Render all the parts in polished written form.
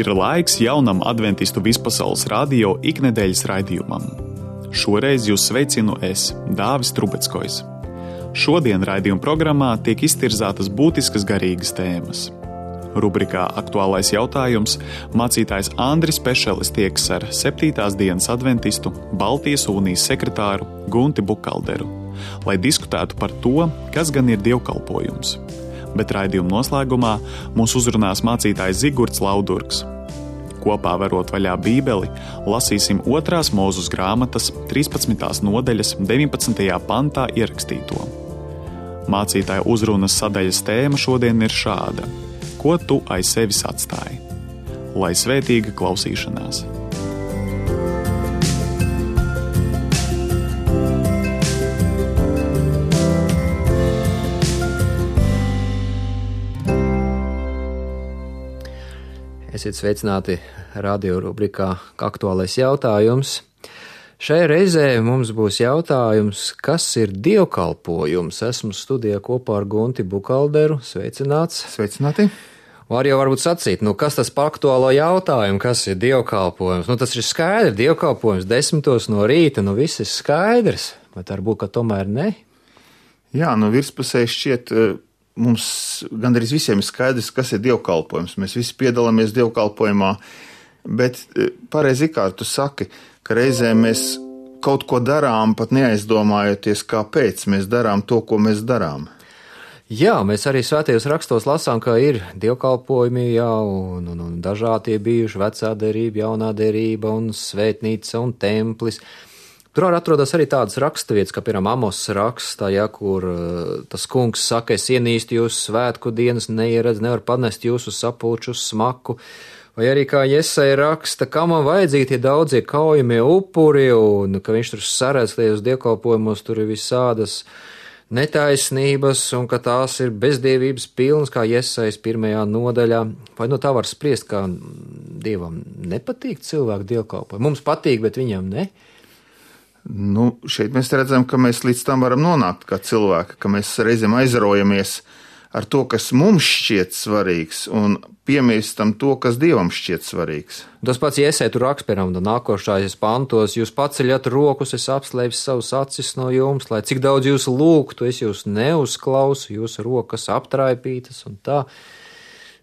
Ir laiks jaunam adventistu vispasaules radio iknedēļas raidījumam. Šoreiz jūs sveicinu es, Dāvis Trubeckojs. Šodien raidījuma programmā tiek iztirzātas būtiskas garīgas tēmas. Rubrikā Aktuālais jautājums mācītājs Andris Pešelis tieks ar 7. dienas adventistu Baltijas unijas sekretāru Gunti Bukalderu, lai diskutētu par to, kas gan ir dievkalpojums. Bet raidījuma noslēgumā mūs uzrunās mācītājs Zigurds Laudurgs. Kopā verot vaļā Bībeli, lasīsim 2. Mūzes grāmatas 13. nodaļas 19. pantā ierakstīto. Mācītāja uzrunas sadaļas tēma šodien ir šāda: ko tu aiz sevis atstāji? Lai svētīga klausīšanās! Esiet sveicināti radio rubrikā Aktuālais jautājums. Šai reizē mums būs jautājums, kas ir dievkalpojums. Esmu studijā kopā ar Gunti Bukalderu. Sveicināts. Sveicināti. Var jau varbūt sacīt, kas tas par aktuālo jautājumu, kas ir dievkalpojums? Tas ir skaidrs, dievkalpojums 10 no rīta, viss ir skaidrs, bet varbūt, ka tomēr ne? Jā, virspusē šķiet, mums gandrīz visiem ir skaidrs, kas ir dievkalpojums. Mēs visi piedalāmies dievkalpojumā, bet pareizi kā tu saki, ka reizēm mēs kaut ko darām, pat neaizdomājoties, kāpēc mēs darām to, ko mēs darām. Jā, mēs arī svētajos rakstos lasām, ka ir dievkalpojumi jau un dažādi bijuši vecā derība, jaunā derība un svētnīca un templis. Tur atrodas arī tādas raksturvietas, kā piemēram Amos rakstā, kur tas kungs saka, es ienīstu jūsu svētku dienas, neieredz, nevar panest jūsu sapulču smaku. Vai arī kā Jesaja raksta, kā man vajadzīgi tie daudzie kaujamie upuri, un ka viņš tur saredz tajos dievkalpojumos, tur ir visādas netaisnības, un ka tās ir bezdievības pilnas, kā Jesajas 1. nodaļā. Vai tā var spriest, kā Dievam nepatīk cilvēku dievkalpojumi? Mums patīk, bet viņam ne? Šeit mēs redzam, ka mēs līdz tam varam nonākt kā cilvēki, ka mēs reizēm aizraujamies ar to, kas mums šķiet svarīgs, un piemirstam to, kas Dievam šķiet svarīgs. Tas pats Jesaja tur raksta, piemēram, nākošais pantos, jūs paceļat rokas, es apslēpju savus acis no jums, lai cik daudz jūs lūgtu, es jūs neuzklausu, jūsu rokas aptraipītas un tā.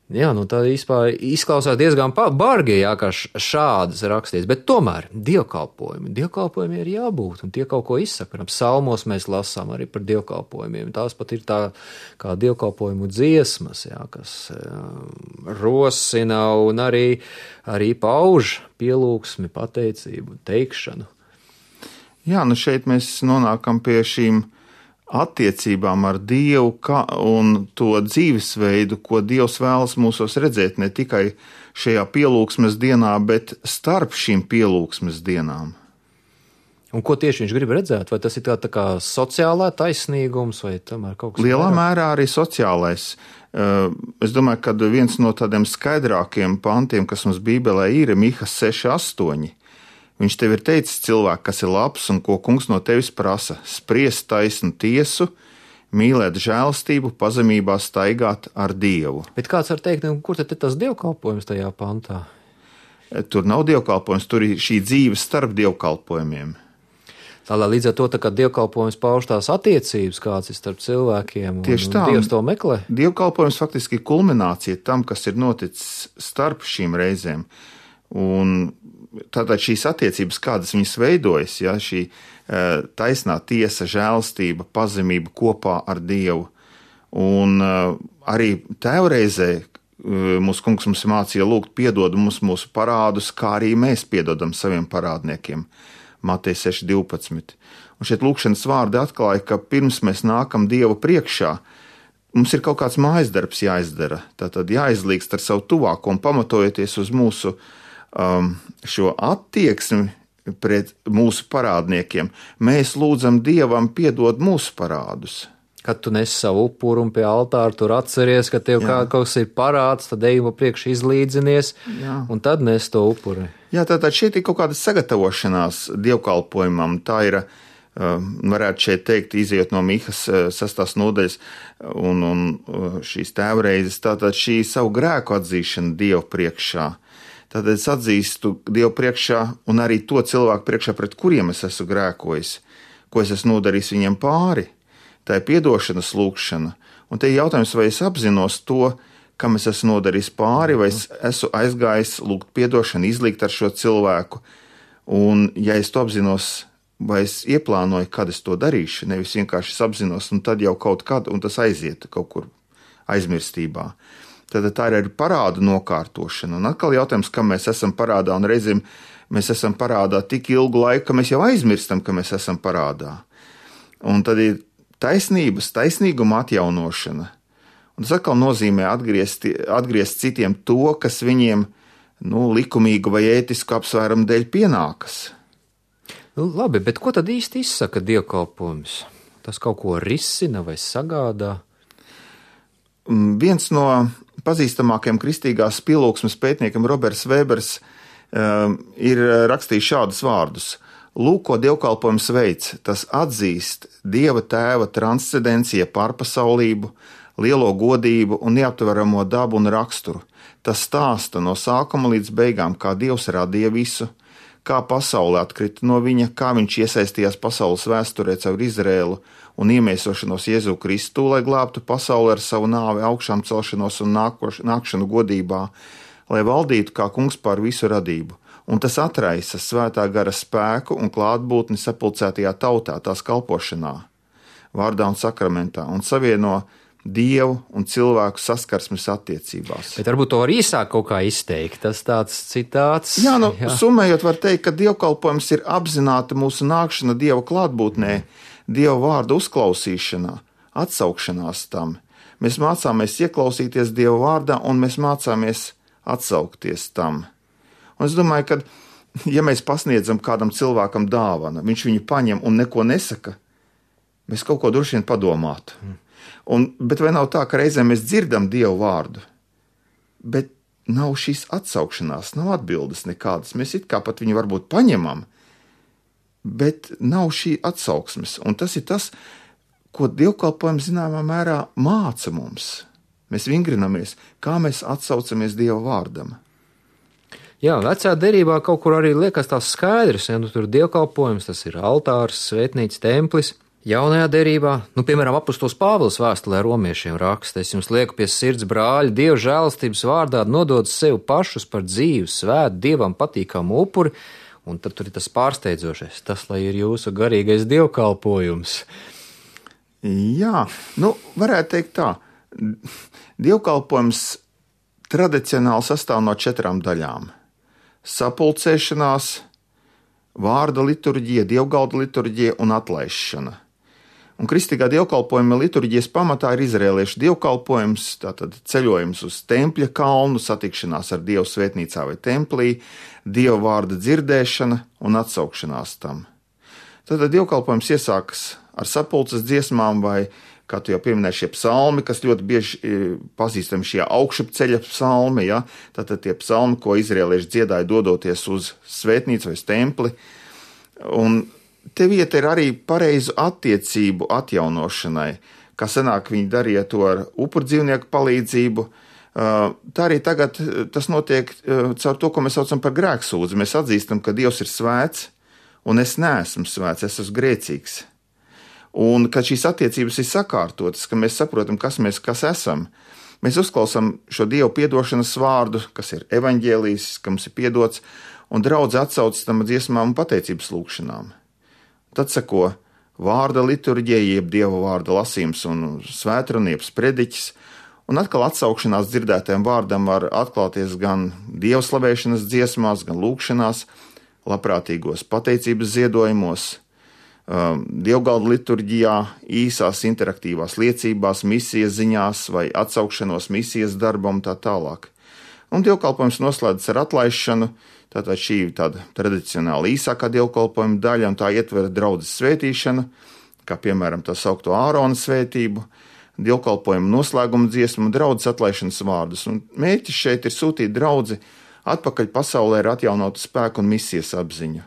Jā, tā izklausās diezgan bargi, kā šādas rakstīts, bet tomēr dievkalpojumi ir jābūt, un tie kaut ko izsaka. Piemēram, psalmos mēs lasām arī par dievkalpojumiem. Tās pat ir tā kā dievkalpojumu dziesmas, kas rosina un arī pauž pielūgsmi, pateicību, teikšanu. Jā, šeit mēs nonākam pie šīm attiecībām ar Dievu un to dzīvesveidu, ko Dievs vēlas mūsos redzēt ne tikai šajā pielūgsmes dienā, bet starp šīm pielūgsmes dienām. Un ko tieši viņš grib redzēt? Vai tas ir tā kā sociālā taisnīgums vai tomēr kaut kas? Lielā mērā arī sociālais. Es domāju, ka viens no tādiem skaidrākiem pantiem, kas mums Bībelē ir Miha 6:8. Viņš tev ir teicis, cilvēki, kas ir labs un ko kungs no tevis prasa, spriest taisnu tiesu, mīlēt žēlastību, pazemībā staigāt ar Dievu. Bet kāds var teikt, kur tad ir tas dievkalpojums tajā pantā? Tur nav dievkalpojums, tur ir šī dzīve starp dievkalpojumiem. Tālāk līdz ar to, ka dievkalpojums pauž tās attiecības, kāds ir starp cilvēkiem, tieši tā, un Dievs to meklē. Dievkalpojums faktiski ir kulminācija tam, kas ir noticis starp šīm reizēm. Un tātad šīs attiecības, kādas viņas veidojas, šī taisnā tiesa, žēlastība, pazemība kopā ar Dievu. Un arī tēvreizē mūsu kungs mums mācīja lūgt piedod mums mūsu parādus, kā arī mēs piedodam saviem parādniekiem. Mateja 6:12. Un šeit lūkšanas vārdi atklāja, ka pirms mēs nākam Dieva priekšā, mums ir kaut kāds mājas darbs jāizdara. Tātad jāizlīgst ar savu tuvāko un pamatojoties uz mūsu šo attieksmi pret mūsu parādniekiem, mēs lūdzam Dievam piedod mūsu parādus. Kad tu nes savu upuru un pie altāra tur atceries, ka tev kaut kas ir parāds, tad ej pa priekšu izlīdzinies, un tad nes to upuri. Jā, tātad šeit ir kaut kāda sagatavošanās dievkalpojumam. Tā ir, varētu šeit teikt, izejot no Mihas 6. nodaļas un šīs tēvreizes, tātad šī savu grēku atzīšana Dievu priekšā. Tad es atzīstu Dievu priekšā un arī to cilvēku priekšā, pret kuriem es esmu grēkojis, ko es esmu nodarījis viņiem pāri. Tā ir piedošanas lūgšana. Un te ir jautājums, vai es apzinos to, kam es esmu nodarījis pāri, vai es esmu aizgājis lūgt piedošanu, izlīgt ar šo cilvēku. Un ja es to apzinos, vai es ieplānoju, kad es to darīšu, nevis vienkārši es apzinos, un tad jau kaut kad, un tas aiziet kaut kur aizmirstībā. Tad tā ir arī parādu nokārtošana. Un atkal jautājums, kam mēs esam parādā, un reizēm mēs esam parādā tik ilgu laiku, ka mēs jau aizmirstam, ka mēs esam parādā. Un tad ir taisnīguma atjaunošana. Un tas atkal nozīmē atgriezt citiem to, kas viņiem likumīgu vai ētisku apsvērumu dēļ pienākas. Labi, bet ko tad īsti izsaka dievkalpojums? Tas kaut ko risina vai sagādā? Viens no pazīstamākajiem kristīgās pielūgsmes pētniekiem, Roberts Vēbers, ir rakstījis šādus vārdus. Lūk, ko dievkalpojums veids, tas atzīst Dieva Tēva transcendencija pārpasaulību, lielo godību un neaptveramo dabu un raksturu. Tas stāsta no sākuma līdz beigām, kā Dievs radīja visu, kā pasaule atkrita no viņa, kā viņš iesaistījās pasaules vēsturē caur Izrēlu un iemiesošanos Jēzu Kristu, lai glābtu pasauli ar savu nāvi, augšām celšanos un nākšanu godībā, lai valdītu kā kungs pār visu radību. Un tas atraisa svētā gara spēku un klātbūtni sapulcētajā tautā, tās kalpošanā, vārdā un sakramentā, un savieno Dievu un cilvēku saskarsmes attiecībās. Bet varbūt to var īsāk kaut kā izteikt, tas tāds citāts. Jā, summējot var teikt, ka dievkalpojums ir apzināta mūsu nākšana Dieva klātbūtnē, Dieva vārda uzklausīšanā, atsaukšanās tam. Mēs mācāmies ieklausīties Dieva vārdā un mēs mācāmies atsaukties tam. Un es domāju, ka, ja mēs pasniedzam kādam cilvēkam dāvanu, viņš viņu paņem un neko nesaka, mēs kaut ko droši vien padomātu. Bet vai nav tā, ka reizēm mēs dzirdam Dievu vārdu, bet nav šīs atsaukšanās, nav atbildes nekādas. Mēs it kā pat viņu varbūt paņemam, bet nav šī atsauksmes. Un tas ir tas, ko dievkalpojums zināmā mērā māca mums. Mēs vingrinamies, kā mēs atsaucamies Dieva vārdam. Jā, vecā derībā kaut kur arī liekas tās skaidrs, ja tur dievkalpojums, tas ir altārs, svētnīca, templis. Jaunajā derībā, piemēram, apustulis Pāvils vēstulē romiešiem raksta: es jums lieku pie sirds, brāļi, Dieva žēlastības vārdā nodot sevi pašus par dzīvu, svētu, Dievam patīkamu upuri, un tad tur ir tas pārsteidzošais, tas, lai ir jūsu garīgais dievkalpojums. Jā, varētu teikt tā. Dievkalpojums tradicionāli sastāv no 4 daļām. Sapulcēšanās, vārda liturģija, dievgalda liturģija un atlaišana. Un kristīgā dievkalpojuma liturģijas pamatā ir izrēliešu dievkalpojums, tātad ceļojums uz tempļa kalnu, satikšanās ar Dievu svētnīcā vai templī, Dieva vārda dzirdēšana un atsaukšanās tam. Tātad dievkalpojums iesākas ar sapulces dziesmām vai, kā tu jau pieminēji, šie psalmi, kas ļoti bieži pazīstami šie augšupceļa psalmi, ja? Tātad tie psalmi, ko izrēlieši dziedāja dodoties uz svētnīcu vai uz templi. Un te vieta ir arī pareizu attiecību atjaunošanai, kā senāk viņi darīja to ar upurdzīvnieku palīdzību. Tā arī tagad tas notiek caur to, ko mēs saucam par grēksūdzi. Mēs atzīstam, ka Dievs ir svēts, un es neesmu svēts, es esmu grēcīgs. Un kad šīs attiecības ir sakārtotas, ka mēs saprotam, kas esam, mēs uzklausām šo Dievu piedošanas vārdu, kas ir evaņģēlijs, ka mums ir piedots, un draudze atsaucas tam dziesmām un pateicības lūgšanām. Tad seko vārda liturģija, jeb Dieva vārda lasījums un svētrunieps prediķis, un atkal atsaukšanās dzirdētajam vārdam var atklāties gan Dieva slavēšanas dziesmās, gan lūgšanās, labprātīgos pateicības ziedojumos, dievgalda liturģijā, īsās interaktīvās liecībās, misijas ziņās vai atsaukšanos misijas darbam tā tālāk. Un dievkalpojums noslēdzas ar atlaišanu. Tātad šī ir tāda tradicionāli īsākā dievkalpojuma daļa, un tā ietver draudzes svētīšanu, kā piemēram tā saukto Ārona svētību, dievkalpojuma noslēguma dziesmu un draudzes atlaišanas vārdus. Un mērķis šeit ir sūtīt draudzi atpakaļ pasaulē ar atjaunotu spēku un misijas apziņu.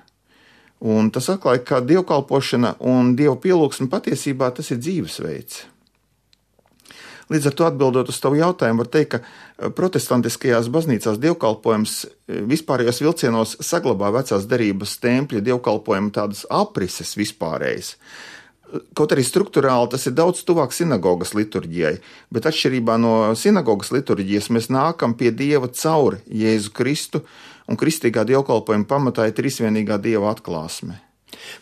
Un tas atklāja, ka dievkalpošana un Dieva pielūgsme patiesībā tas ir dzīvesveids. Līdz ar to atbildot uz tavu jautājumu, var teikt, ka protestantiskajās baznīcās dievkalpojums vispārējos vilcienos saglabā vecās derības tempļa dievkalpojuma tādas aprises vispārējas. Kaut arī struktūrāli tas ir daudz tuvāk sinagogas liturģijai, bet atšķirībā no sinagogas liturģijas mēs nākam pie Dieva caur Jēzu Kristu, un kristīgā dievkalpojuma pamatā ir trīsvienīgā Dieva atklāsme.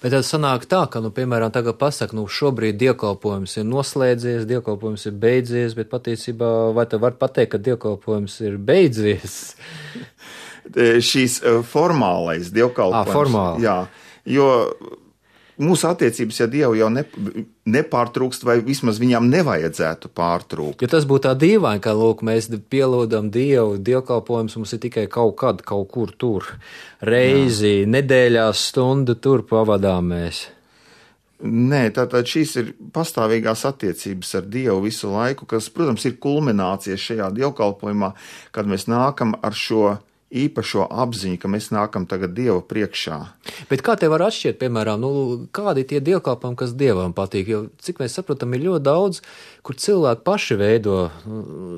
Bet tad sanāk tā, ka, piemēram, tagad pasaka, šobrīd dievkalpojums ir noslēdzies, dievkalpojums ir beidzies, bet patiesībā vai tu vari pateikt, ka dievkalpojums ir beidzies? Šīs formālais dievkalpojums. Formāli. Jā, jo mūsu attiecības, ja Dievu jau nepārtrūkst, vai vismaz viņām nevajadzētu pārtrūkt. Ja tas būtu tā dīvaini, ka, mēs pielūdam Dievu, dievkalpojums mums ir tikai kaut kad, kaut kur tur, reizi, nedēļās stundu tur pavadām mēs. Nē, tātad šīs ir pastāvīgās attiecības ar Dievu visu laiku, kas, protams, ir kulminācija šajā dievkalpojumā, kad mēs nākam ar šo īpašo apziņu, ka mēs nākam tagad Dieva priekšā. Bet kā tev var atšķirt, piemēram, kādi tie dievkalpojumi, kas Dievam patīk? Jo, cik mēs saprotam, ir ļoti daudz, kur cilvēki paši veido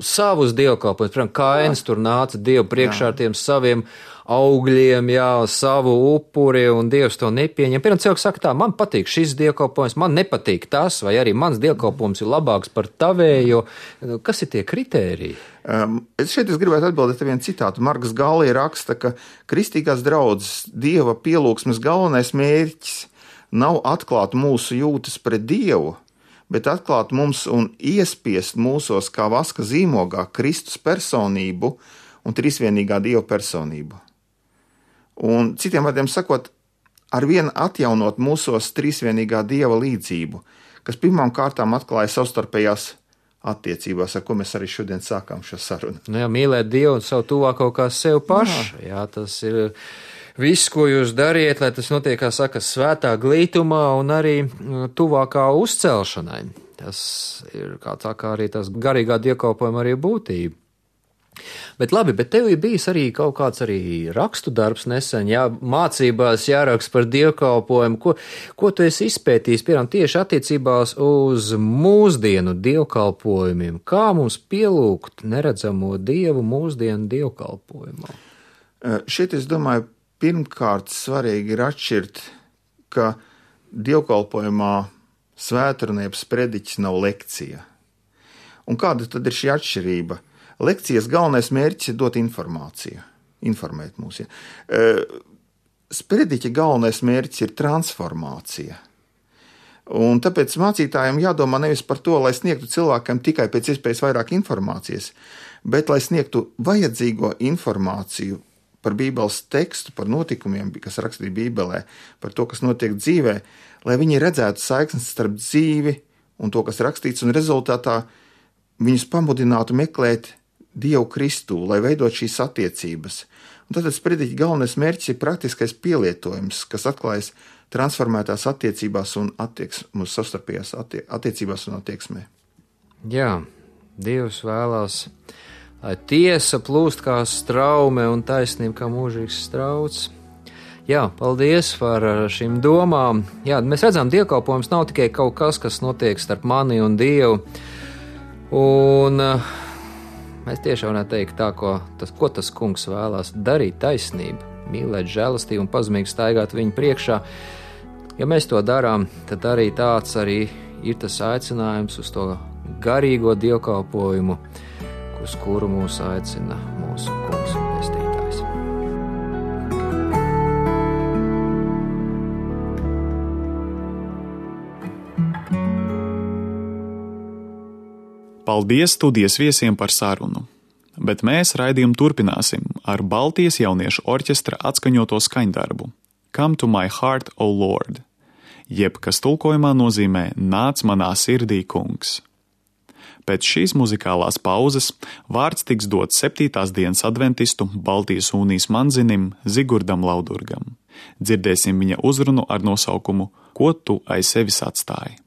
savus dievkalpojumus. Piemēram, Kains tur nāca Dievu priekšā ar tiem saviem augļiem, savu upuri, un Dievs to nepieņem. Piemēram, cilvēks saka tā, man patīk šis dievkalpojums, man nepatīk tas, vai arī mans dievkalpojums ir labāks par tavējo. Kas ir tie kritēriji? Es gribētu atbildēt ar vienu citātu. Marks Galija raksta, ka kristīgās draudzes Dieva pielūgsmes galvenais mērķis nav atklāt mūsu jūtas pret Dievu, bet atklāt mums un iespiest mūsos kā vaska zīmogā Kristus personību un trīsvienīgā Dieva personību. Un citiem vārdiem sakot, arvien atjaunot mūsos trīsvienīgā Dieva līdzību, kas pirmām kārtām atklāja savstarpējās attiecībās, ar ko mēs arī šodien sākām šo sarunu. Mīlēt Dievu un savu tuvāko kā sev pašu. Jā, tas ir viss, ko jūs dariet, lai tas notiek, kā saka, svētā glītumā un arī tuvākā uzcelšanai. Tas ir kā arī tas garīgā dievkalpojuma arī būtība. Bet labi, bet tev ir bijis arī kaut kāds arī rakstu darbs nesen, mācībās jāraksta par dievkalpojumu. Ko tu esi izpētījis, piemēram, tieši attiecībās uz mūsdienu dievkalpojumiem? Kā mums pielūgt neredzamo Dievu mūsdienu dievkalpojumā? Šeit, es domāju, pirmkārt svarīgi ir atšķirt, ka dievkalpojumā svētrunības prediķis nav lekcija. Un kāda tad ir šī atšķirība? Lekcijas galvenais mērķis ir dot informāciju, informēt mūs. Sprediķa galvenais mērķis ir transformācija. Un tāpēc mācītājiem jādomā nevis par to, lai sniegtu cilvēkam tikai pēc iespējas vairāk informācijas, bet lai sniegtu vajadzīgo informāciju par Bībeles tekstu, par notikumiem, kas rakstīti Bībelē, par to, kas notiek dzīvē, lai viņi redzētu saiknes starp dzīvi un to, kas rakstīts, un rezultātā viņus pamudinātu meklēt Dievu Kristu, lai veidot šīs attiecības. Un tad sprediķa galvenais mērķis ir praktiskais pielietojums, kas atklājas transformētās attiecībās un mūsu savstarpējās attiecībās un attieksmē. Jā, Dievs vēlās, lai tiesa plūst kā straume un taisnība kā mūžīgs strauts. Jā, paldies par šīm domām. Jā, mēs redzam, dievkalpojums nav tikai kaut kas, kas notiek starp mani un Dievu. Un mēs tiešām varētu teikt tā, ko tas kungs vēlās darīt taisnību, mīlēt žēlastību un pazemīgi staigāt viņa priekšā. Ja mēs to darām, tad arī tāds arī ir tas aicinājums uz to garīgo dievkalpojumu, uz kuru mūs aicina mūsu kungs un pestītājs. Paldies studijas viesiem par sarunu, bet mēs raidījumu turpināsim ar Baltijas jauniešu orķestra atskaņoto skaņdarbu Come to my heart, O Lord, jeb kas tulkojumā nozīmē Nāc manā sirdī, kungs. Pēc šīs muzikālās pauzes vārds tiks dots 7. dienas adventistu Baltijas unijas manzinim Zigurdam Laudurgam. Dzirdēsim viņa uzrunu ar nosaukumu Ko tu aiz sevis atstāji?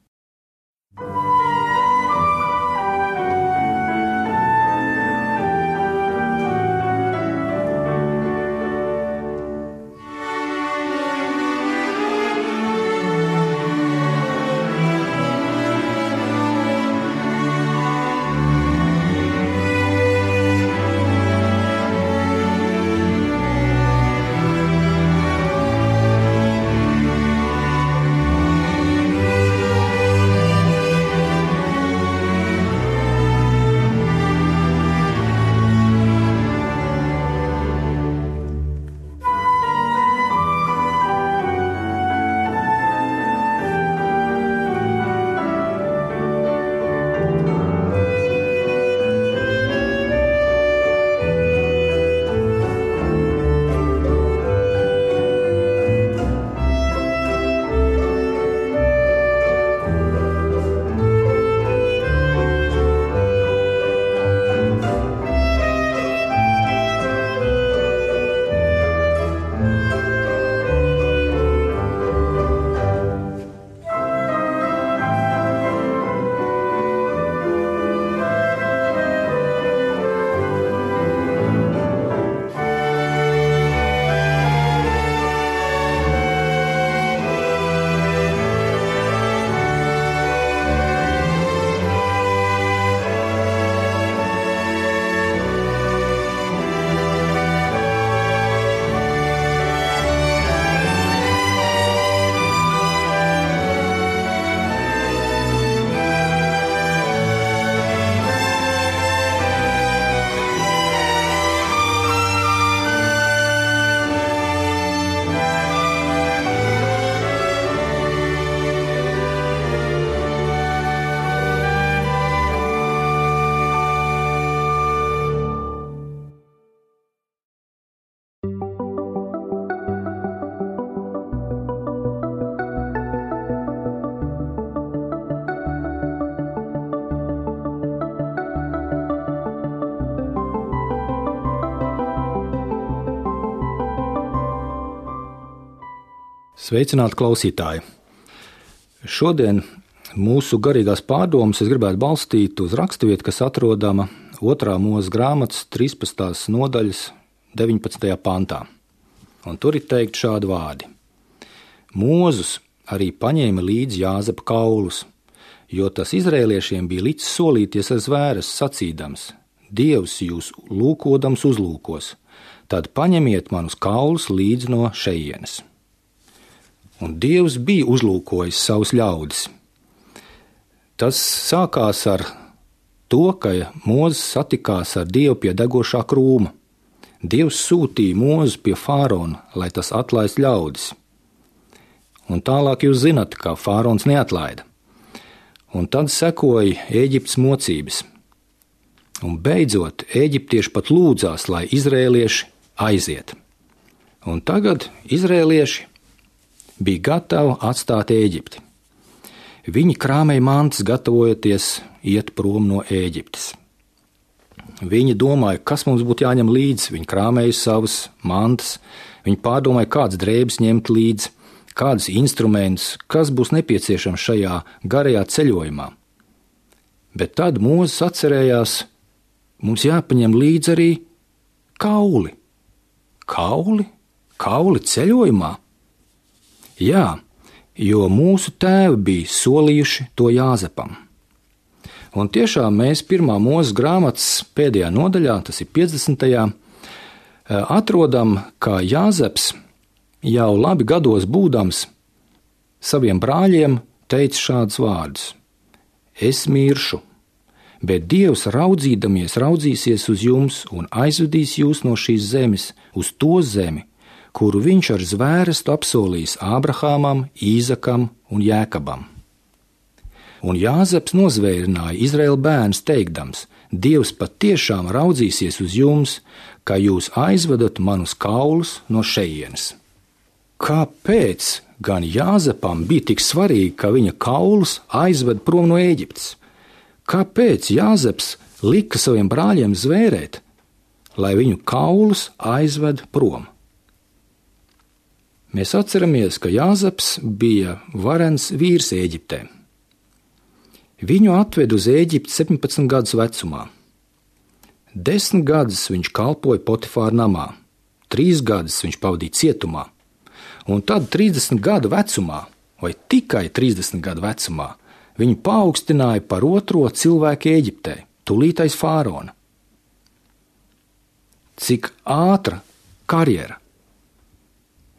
Sveicināti klausītāji! Šodien mūsu garīgās pārdomas es gribētu balstīt uz raksturvietu, kas atrodama 2. Mūzes grāmatas 13. nodaļas 19. pantā. Un tur ir teikt šādi vārdi: Mūzus arī paņēma līdzi Jāzepa kaulus, jo tas izrēliešiem bija licis solīties ar zvēres, sacīdams: Dievs jūs lūkodams uzlūkos, tad paņemiet manus kaulus līdzi no šejienes. Un Dievs bija uzlūkojis savus ļaudis. Tas sākās ar to, ka Mūzes satikās ar Dievu pie degošā krūma. Dievs sūtīja Mūzu pie Fārona, lai tas atlaist ļaudis. Un tālāk jūs zinat, ka Fārons neatlaida. Un tad sekoja Ēģiptes mocības. Un beidzot, eģiptieši pat lūdzās, lai izrēlieši aiziet. Un tagad izrēlieši bija gatavi atstāt Ēģipti. Viņi krāmēja mantas, gatavojoties iet prom no Ēģiptes. Viņi domāja, kas mums būtu jāņem līdzi. Viņi krāmēja savas mantas, viņi pārdomāja, kādas drēbes ņemt līdzi, kādus instrumentus, kas būs nepieciešams šajā garajā ceļojumā. Bet tad Mūzes atcerējās, mums jāpaņem līdzi arī kauli. Kauli ceļojumā? Jā, jo mūsu tēvi bija solījuši to Jāzepam. Un tiešām mēs 1. Mūzes grāmatas pēdējā nodaļā, tas ir 50. Atrodam, ka Jāzeps jau labi gados būdams saviem brāļiem teica šādus vārdus: Es miršu, bet Dievs raudzīsies uz jums un aizvedīs jūs no šīs zemes uz to zemi, kuru viņš ar zvērestu apsolījis Ābrahāmam, Īzakam un Jēkabam. Un Jāzeps nozvērināja Izraēla bērnus teikdams: Dievs patiešām raudzīsies uz jums, ka jūs aizvedat manus kaulus no šejienes. Kāpēc gan Jāzepam bija tik svarīgi, ka viņa kaulus aizved prom no Ēģiptes? Kāpēc Jāzeps lika saviem brāļiem zvērēt, lai viņu kaulus aizved prom? Mēs atceramies, ka Jāzeps bija varens vīrs Ēģiptē. Viņu atved uz Ēģipti 17 gadus vecumā. 10 gadus viņš kalpoja Potifāra namā, 3 gadus viņš pavadīja cietumā, un tad 30 gadu vecumā, vai tikai 30 gadu vecumā, viņu paaugstināja par 2. cilvēku Ēģiptē, tūlīt aiz Fārona. Cik ātra karjera!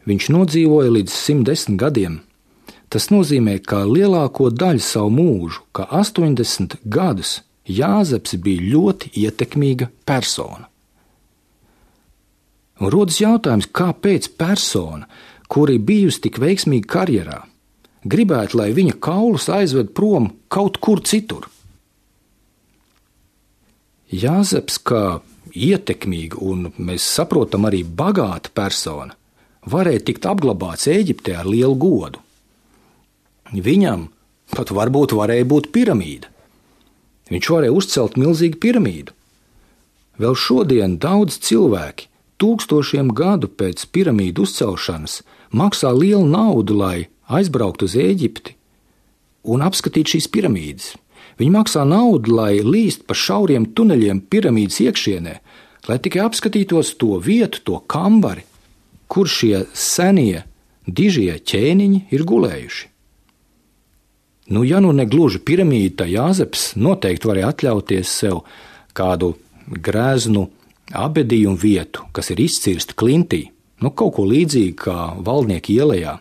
Viņš nodzīvoja līdz 110 gadiem. Tas nozīmē, ka lielāko daļu savu mūžu, ka 80 gadus, Jāzeps bija ļoti ietekmīga persona. Un rodas jautājums, kāpēc persona, kura ir bijusi tik veiksmīga karjerā, gribētu, lai viņa kaulus aizved prom kaut kur citur? Jāzeps, kā ietekmīga un mēs saprotam arī bagāta persona, varēja tikt apglabāts Ēģiptē ar lielu godu. Viņam pat varbūt varēja būt piramīda. Viņš varēja uzcelt milzīgu piramīdu. Vēl šodien daudz cilvēki 1000 gadu pēc piramīdu uzcelšanas maksā lielu naudu, lai aizbrauktu uz Ēģipti un apskatītu šīs piramīdas. Viņi maksā naudu, lai līst pa šauriem tuneļiem piramīdas iekšienē, lai tikai apskatītos to vietu, to kambari, kur šie senie, dižie ķēniņi ir gulējuši. Ja nu negluži piramīda, tad Jāzeps noteikti varēja atļauties sev kādu greznu abedījumu vietu, kas ir izcirsta klintī, kaut ko līdzīgu kā Valdnieka ielejā.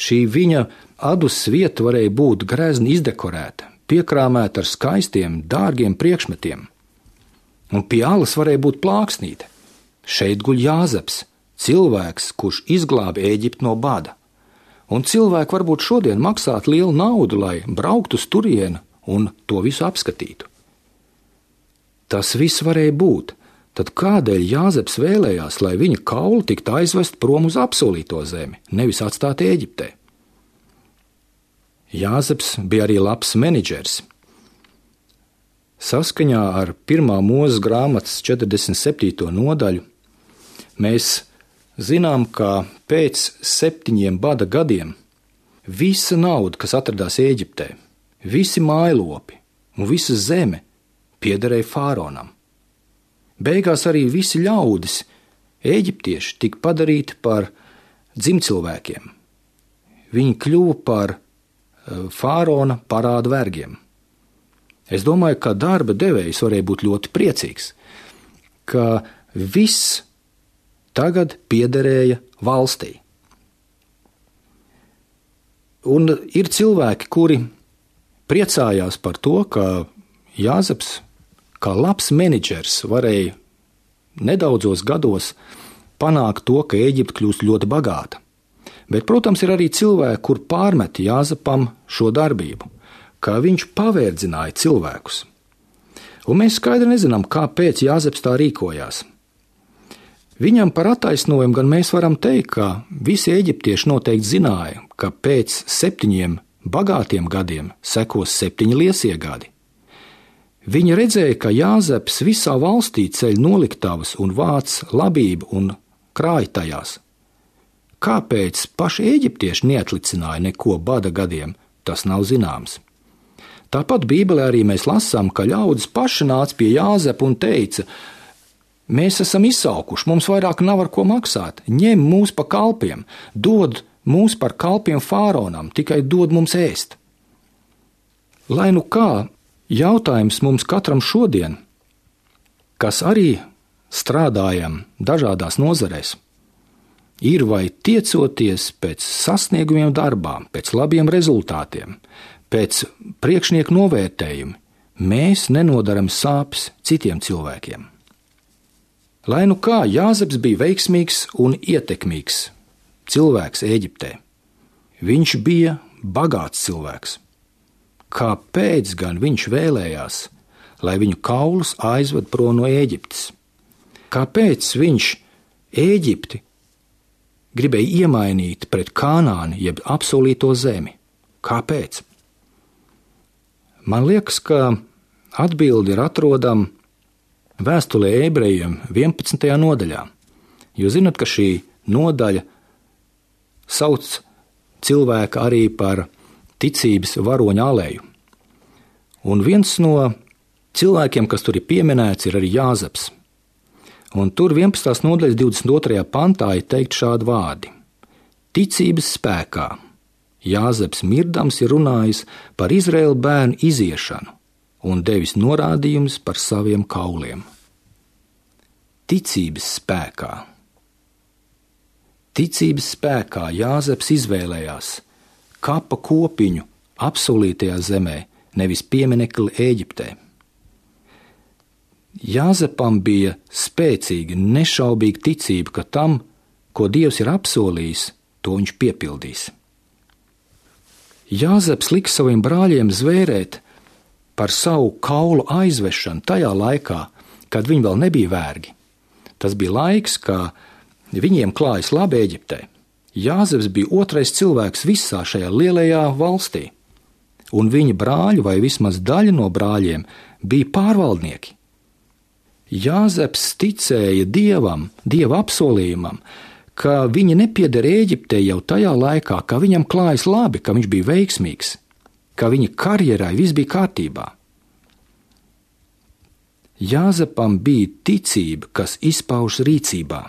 Šī viņa adus vieta varēja būt grezni izdekorēta, piekrāmēta ar skaistiem, dārgiem priekšmetiem. Un pie alas varēja būt plāksnīte. Šeit guļ Jāzeps, cilvēks, kurš izglāba Ēģipti no bada. Un cilvēki varbūt šodien maksātu lielu naudu, lai brauktu uz turieni un to visu apskatītu. Tas viss varēja būt. Tad kādēļ Jāzeps vēlējās, lai viņa kauli tiktu aizvest prom uz apsolīto zemi, nevis atstāt Ēģiptē? Jāzeps bija arī labs menedžers. Saskaņā ar 1. Mūzes grāmatas 47. nodaļu mēs zinām, ka pēc 7 bada gadiem visa nauda, kas atradās Ēģiptē, visi mājlopi un visa zeme piederēja fāronam. Beigās arī visi ļaudis, eģiptieši, tika padarīti par dzimcilvēkiem. Viņi kļuva par fārona parādu vergiem. Es domāju, ka darba devējs varēja būt ļoti priecīgs, ka viss tagad piederēja valstī. Un ir cilvēki, kuri priecājās par to, ka Jāzeps, kā labs menedžers, varēja nedaudzos gados panākt to, ka Ēģipte kļūst ļoti bagāta. Bet, protams, ir arī cilvēki, kur pārmet Jāzepam šo darbību, ka viņš pavērdzināja cilvēkus. Un mēs skaidri nezinām, kāpēc Jāzeps tā rīkojās. Viņam par attaisnojumu gan mēs varam teikt, ka visi eģiptieši noteikti zināja, ka pēc 7 bagātiem gadiem sekos 7 liesie gadi. Viņi redzēja, ka Jāzeps visā valstī ceļ noliktavas un vāc labību un krāj tajās. Kāpēc paši eģiptieši neatlicināja neko bada gadiem, tas nav zināms. Tāpat Bībelē arī mēs lasām, ka ļaudis paši nāca pie Jāzepa un teica: mēs esam izsalkuši, mums vairāk nav ar ko maksāt, ņem mūs pa kalpiem, dod mūs par kalpiem fāronam, tikai dod mums ēst. Lai nu kā, jautājums mums katram šodien, kas arī strādājam dažādās nozarēs, ir vai tiecoties pēc sasniegumiem darbā, pēc labiem rezultātiem, pēc priekšnieku novērtējuma, mēs nenodaram sāpes citiem cilvēkiem. Lai nu kā, Jāzeps bija veiksmīgs un ietekmīgs cilvēks Ēģiptē. Viņš bija bagāts cilvēks. Kāpēc gan viņš vēlējās, lai viņu kaulus aizved prom no Ēģiptes? Kāpēc viņš Ēģipti gribēja iemainīt pret Kanāni, jeb apsolīto zemi? Kāpēc? Man liekas, ka atbildi ir atrodama Vēstulē ebrejiem 11. nodaļā. Jūs zināt, ka šī nodaļa sauc cilvēku arī par ticības varoņa aleju. Un viens no cilvēkiem, kas tur ir pieminēts, ir arī Jāzeps. Un tur 11. nodaļas 22. pantā ir teikt šādi vārdi: ticības spēkā Jāzeps mirdams ir runājis par Izraēla bērnu iziešanu un devis norādījumus par saviem kauliem. Ticības spēkā. Ticības spēkā Jāzeps izvēlējās kapa kopiņu apsolītajā zemē, nevis pieminekli Ēģiptē. Jāzepam bija spēcīga, nešaubīga ticība, ka tam, ko Dievs ir apsolījis, to viņš piepildīs. Jāzeps lika saviem brāļiem zvērēt par savu kaulu aizvešanu tajā laikā, kad viņi vēl nebija vergi. Tas bija laiks, kad viņiem klājas labi Ēģiptē. Jāzeps bija otrais cilvēks visā šajā lielajā valstī, un viņa brāļi, vai vismaz daļa no brāļiem, bija pārvaldnieki. Jāzeps ticēja Dievam, Dieva apsolījumam, ka viņi nepieder Ēģiptē jau tajā laikā, ka viņam klājas labi, ka viņš bija veiksmīgs, ka viņa karjerai viss bija kārtībā. Jāzepam bija ticība, kas izpaužas rīcībā,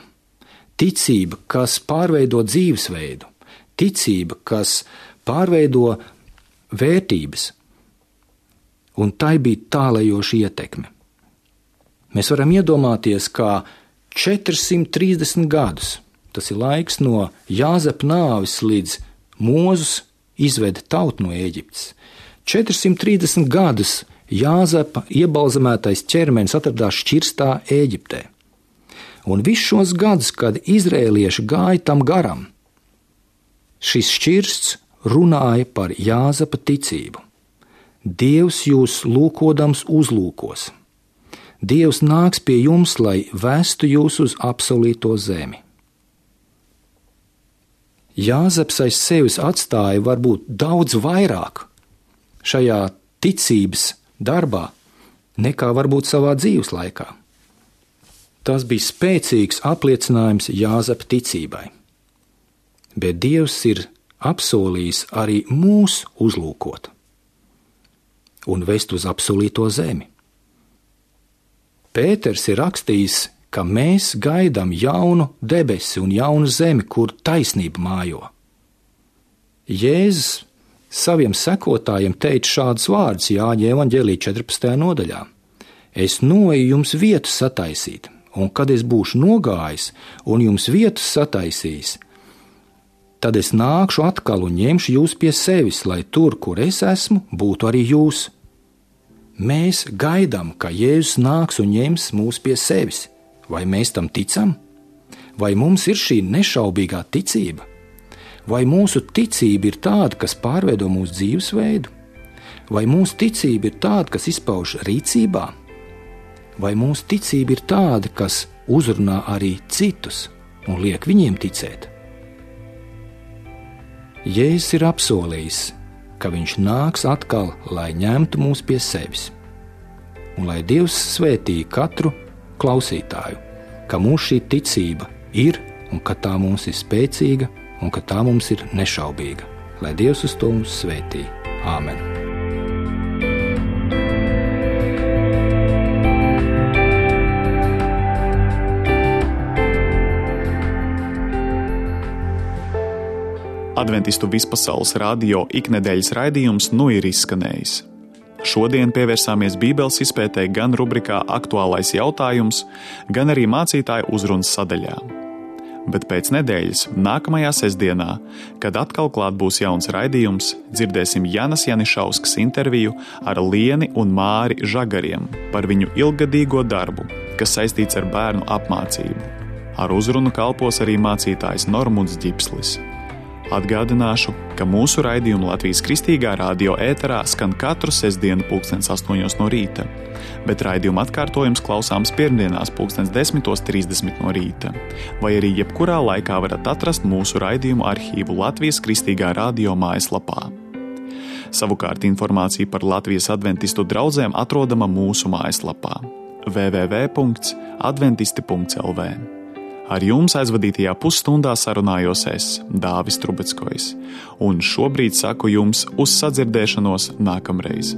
ticība, kas pārveido dzīvesveidu, ticība, kas pārveido vērtības, un tai bija tālējoša ietekme. Mēs varam iedomāties, kā 430 gadus, tas ir laiks no Jāzepa nāves līdz Mozus izveda tautu no Ēģiptes. 430 gadus Jāzepa iebalzamētais ķermenis atradās šķirstā Ēģiptē. Un visus šos gadus, kad izrēlieši gāja tam garam, šis šķirsts runāja par Jāzepa ticību. Dievs jūs lūkodams uzlūkos. Dievs nāks pie jums, lai vestu jūs uz apsolīto zemi. Jāzeps aiz sevis atstāja varbūt daudz vairāk šajā ticības darbā nekā varbūt savā dzīves laikā. Tas bija spēcīgs apliecinājums Jāzepa ticībai. Bet Dievs ir apsolījis arī mūs uzlūkot un vest uz apsolīto zemi. Pēters ir rakstījis, ka mēs gaidām jaunu debesi un jaunu zemi, kur taisnība mājo. Jēzus saviem sekotājiem teica šādus vārdus Jāņa evaņģēlī 14. nodaļā. Es noeju jums vietu sataisīt, un kad es būšu nogājis un jums vietu sataisījis, tad es nākšu atkal un ņemšu jūs pie sevis, lai tur, kur es esmu, būtu arī jūs. Mēs gaidām, ka Jēzus nāks un ņems mūs pie sevis. Vai mēs tam ticam? Vai mums ir šī nešaubīgā ticība? Vai mūsu ticība ir tāda, kas pārveido mūsu dzīvesveidu? Vai mūsu ticība ir tāda, kas izpauž rīcībā? Vai mūsu ticība ir tāda, kas uzrunā arī citus un liek viņiem ticēt? Jēzus ir apsolījis, ka viņš nāks atkal, lai ņemtu mūs pie sevis. Un lai Dievs svētī katru klausītāju, ka mūsu šī ticība ir un ka tā mums ir spēcīga un ka tā mums ir nešaubīga. Lai Dievs uz to mums svētī. Āmen! Adventistu vispasaules radio iknedēļas raidījums nu ir izskanējis. Šodien pievērsāmies Bībeles izpētē gan rubrikā Aktuālais jautājums, gan arī mācītāju uzrunas sadaļā. Bet pēc nedēļas, nākamajā sestdienā, kad atkal klāt būs jauns raidījums, dzirdēsim Janas Janišauskas interviju ar Lieni un Māri Žagariem par viņu ilggadīgo darbu, kas saistīts ar bērnu apmācību. Ar uzrunu kalpos arī mācītājs Normunds Ģipslis. Atgādināšu, ka mūsu raidījumu Latvijas Kristīgā radio ēterā skan katru sestdienu 8:00 no rīta, bet raidījuma atkārtojums klausāms pirmdienās 10:30 no rīta, vai arī jebkurā laikā varat atrast mūsu raidījumu arhīvu Latvijas Kristīgā radio mājaslapā. Savukārt informācija par Latvijas adventistu draudzēm atrodama mūsu mājaslapā www.adventisti.lv. Ar jums aizvadītajā pusstundā sarunājos es, Dāvis Trubeckojs, un šobrīd saku jums uz sadzirdēšanos nākamreiz.